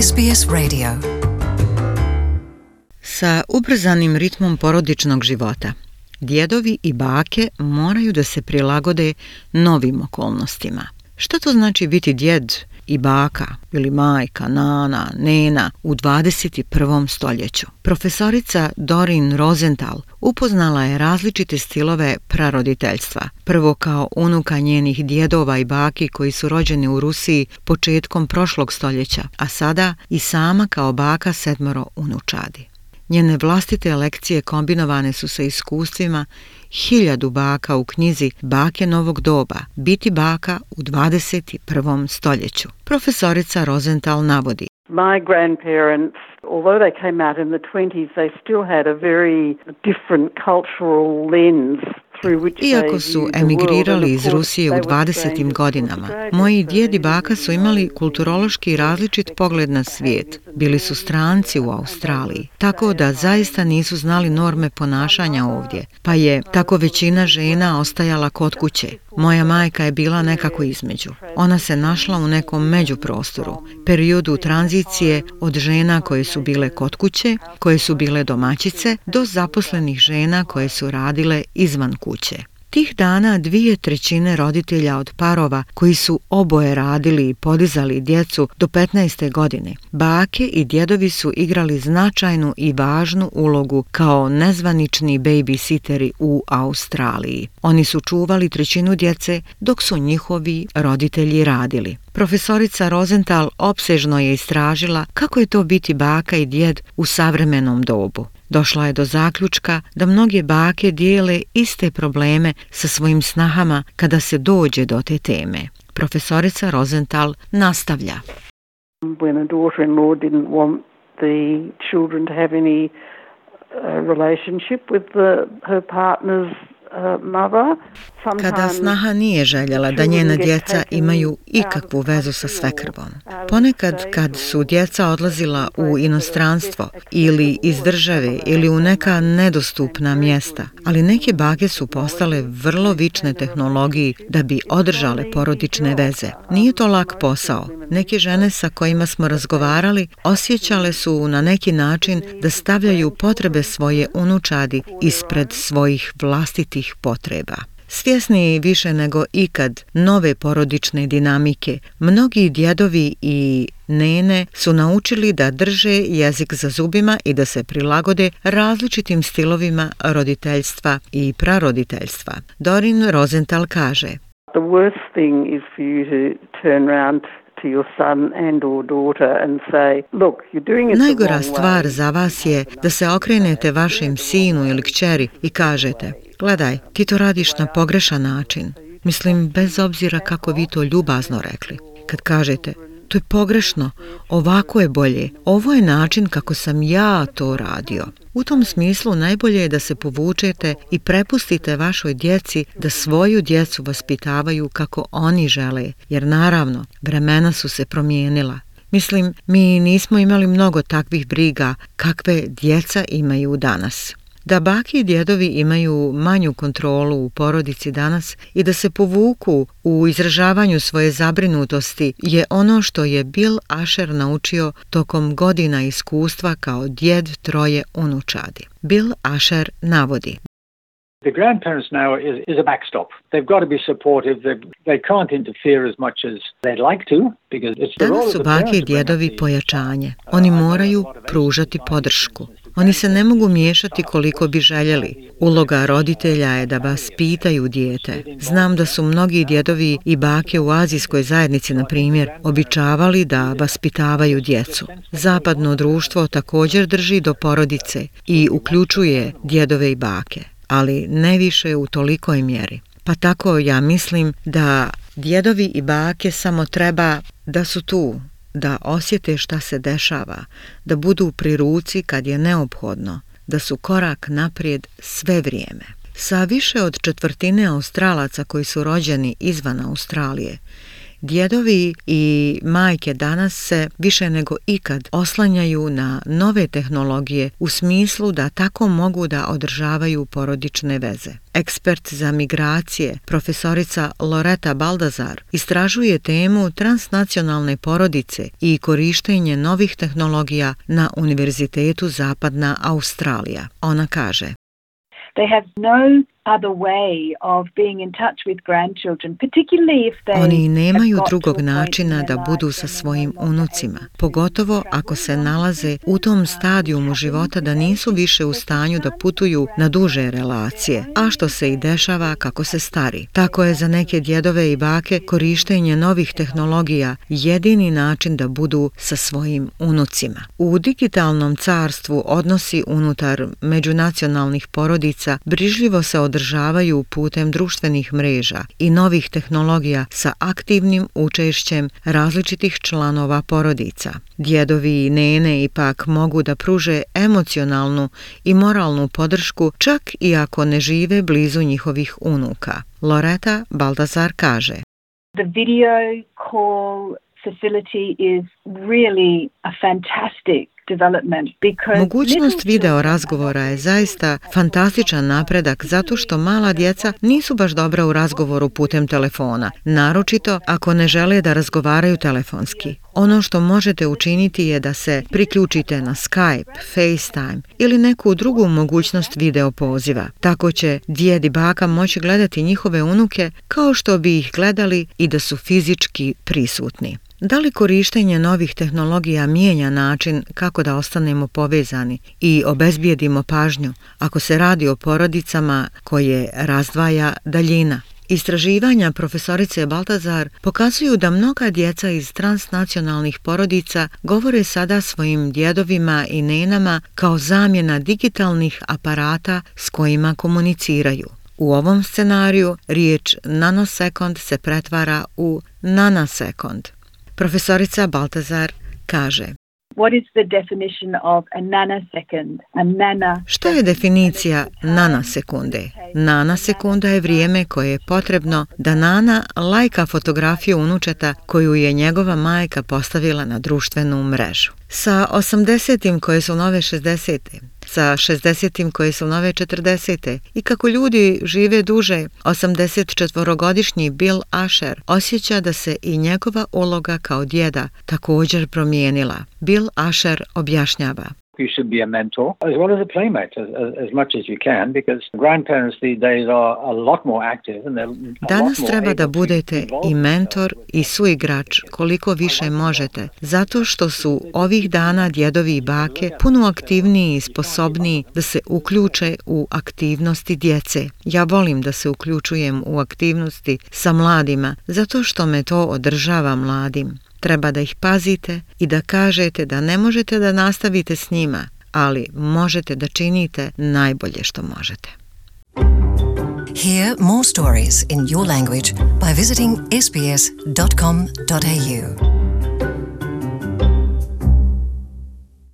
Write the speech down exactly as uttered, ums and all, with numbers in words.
S B S Radio. Sa ubrzanim ritmom porodičnog života, djedovi i bake moraju da se prilagode novim okolnostima. Šta to znači biti djed i baka ili majka, nana, nena u dvadeset prvom stoljeću? Profesorica Doreen Rosenthal upoznala je različite stilove praroditeljstva. Prvo kao unuka njenih djedova i baki koji su rođeni u Rusiji početkom prošlog stoljeća, a sada i sama kao baka sedmoro unučadi. Njene vlastite lekcije kombinovane su sa iskustvima hiljadu baka u knjizi Bake novog doba, biti baka u dvadeset prvom stoljeću. Profesorica Rosenthal navodi: My grandparents, although they came out in the twenties, they still had a very different cultural lens. Iako su emigrirali iz Rusije u dvadesetim godinama, moji djed i baka su imali kulturološki različit pogled na svijet. Bili su stranci u Australiji, tako da zaista nisu znali norme ponašanja ovdje, pa je tako većina žena ostajala kod kuće. Moja majka je bila nekako između. Ona se našla u nekom međuprostoru, periodu tranzicije od žena koje su bile kod kuće, koje su bile domaćice, do zaposlenih žena koje su radile izvan kuće. Tih dana dvije trećine roditelja od parova koji su oboje radili i podizali djecu do petnaeste godine, bake i djedovi su igrali značajnu i važnu ulogu kao nezvanični babysiteri u Australiji. Oni su čuvali trećinu djece dok su njihovi roditelji radili. Profesorica Rosenthal opsežno je istražila kako je to biti baka i djed u savremenom dobu. Došla je do zaključka da mnoge bake dijele iste probleme sa svojim snahama kada se dođe do te teme. Profesorica Rosenthal nastavlja: When a daughter-in-law didn't want the children to have any uh, relationship with the, her partner's Kada snaha nije željela da njena djeca imaju ikakvu vezu sa svekrvom. Ponekad kad su djeca odlazila u inostranstvo ili iz države ili u neka nedostupna mjesta, ali neke bake su postale vrlo vične tehnologiji da bi održale porodične veze. Nije to lak posao. Neke žene sa kojima smo razgovarali osjećale su na neki način da stavljaju potrebe svoje unučadi ispred svojih vlastitih potreba. Svjesni više nego ikad nove porodične dinamike, mnogi djedovi i nene su naučili da drže jezik za zubima i da se prilagode različitim stilovima roditeljstva i praroditeljstva. Doreen Rosenthal kaže: The worst thing is for you to turn around to your son and or daughter and say, look, you're doing it the wrong way. Najgora stvar za vas je da se okrenete vašem sinu ili kćeri i kažete: gledaj, ti to radiš na pogrešan način. Mislim, bez obzira kako vi to ljubazno rekli. Kad kažete: to je pogrešno, ovako je bolje, ovo je način kako sam ja to radio. U tom smislu najbolje je da se povučete i prepustite vašoj djeci da svoju djecu vaspitavaju kako oni žele, jer naravno, vremena su se promijenila. Mislim, mi nismo imali mnogo takvih briga kakve djeca imaju danas. Da bake i djedovi imaju manju kontrolu u porodici danas i da se povuku u izražavanju svoje zabrinutosti je ono što je Bill Asher naučio tokom godina iskustva kao djed troje unučadi. Bill Asher navodi: The grandparents now is, is a backstop. They've got to be supportive. They, they can't interfere as much as they'd like to because it's the role Danas of su the bake i parents to bring up djedovi the- pojačanje. Oni moraju pružati podršku. Oni se ne mogu miješati koliko bi željeli. Uloga roditelja je da vas pitaju dijete. Znam da su mnogi djedovi i bake u azijskoj zajednici, na primjer, običavali da vaspitavaju djecu. Zapadno društvo također drži do porodice i uključuje djedove i bake, ali ne više u tolikoj mjeri. Pa tako ja mislim da djedovi i bake samo treba da su tu, da osjete šta se dešava, da budu pri ruci kad je neophodno, da su korak naprijed sve vrijeme. Sa više od četvrtine Australaca koji su rođeni izvan Australije, Djedovi i majke danas se više nego ikad oslanjaju na nove tehnologije u smislu da tako mogu da održavaju porodične veze. Ekspert za migracije, profesorica Loreta Baldazar, istražuje temu transnacionalne porodice i korištenje novih tehnologija na Univerzitetu Zapadna Australija. Ona kaže: They have no other way of being in touch with grandchildren, particularly if they Oni nemaju drugog načina da budu sa svojim unucima, pogotovo ako se nalaze u tom stadijumu života da nisu više u stanju da putuju na duže relacije, a što se i dešava kako se stari. Tako je za neke djedove i bake korištenje novih tehnologija jedini način da budu sa svojim unucima. U digitalnom carstvu odnosi unutar međunacionalnih porodica brižljivo se održavaju putem društvenih mreža i novih tehnologija sa aktivnim učešćem različitih članova porodica. Djedovi i nene ipak mogu da pruže emocionalnu i moralnu podršku čak i ako ne žive blizu njihovih unuka. Loreta Baldazar kaže: The video call facility is really a fantastic Mogućnost video razgovora je zaista fantastičan napredak zato što mala djeca nisu baš dobra u razgovoru putem telefona, naročito ako ne žele da razgovaraju telefonski. Ono što možete učiniti je da se priključite na Skype, FaceTime ili neku drugu mogućnost video poziva. Tako će djed i baka moći gledati njihove unuke kao što bi ih gledali i da su fizički prisutni. Da li korištenje novih tehnologija mijenja način kako da ostanemo povezani i obezbijedimo pažnju ako se radi o porodicama koje razdvaja daljina? Istraživanja profesorice Baltazar pokazuju da mnoga djeca iz transnacionalnih porodica govore sada svojim djedovima i nenama kao zamjena digitalnih aparata s kojima komuniciraju. U ovom scenariju riječ nanosekund se pretvara u nanasekund. Profesorica Baltazar kaže: What is the definition of a nanosecond? A nana... Što je definicija nanosekunde? Nanosekunda je vrijeme koje je potrebno da Nana lajka fotografiju unučeta koju je njegova majka postavila na društvenu mrežu. Sa osamdesetim koje su nove šezdesete, sa šezdesetim koje su nove četrdesete i kako ljudi žive duže, osamdesetčetvorogodišnji Bill Asher osjeća da se i njegova uloga kao djeda također promijenila. Bill Asher objašnjava: You should be a mentor as well as a playmate as, as, as much as you can, because grandparents these days are a lot more active and they're a Danas lot more treba da able to budete involve i mentor i suigrač koliko više možete, zato što su ovih dana djedovi i bake puno aktivniji i sposobniji da se uključe u aktivnosti djece. Ja volim da se uključujem u aktivnosti sa mladima, zato što me to održava mladim. Treba da ih pazite i da kažete da ne možete da nastavite s njima, ali možete da činite najbolje što možete. Hear more stories in your language by visiting s b s dot com dot a u.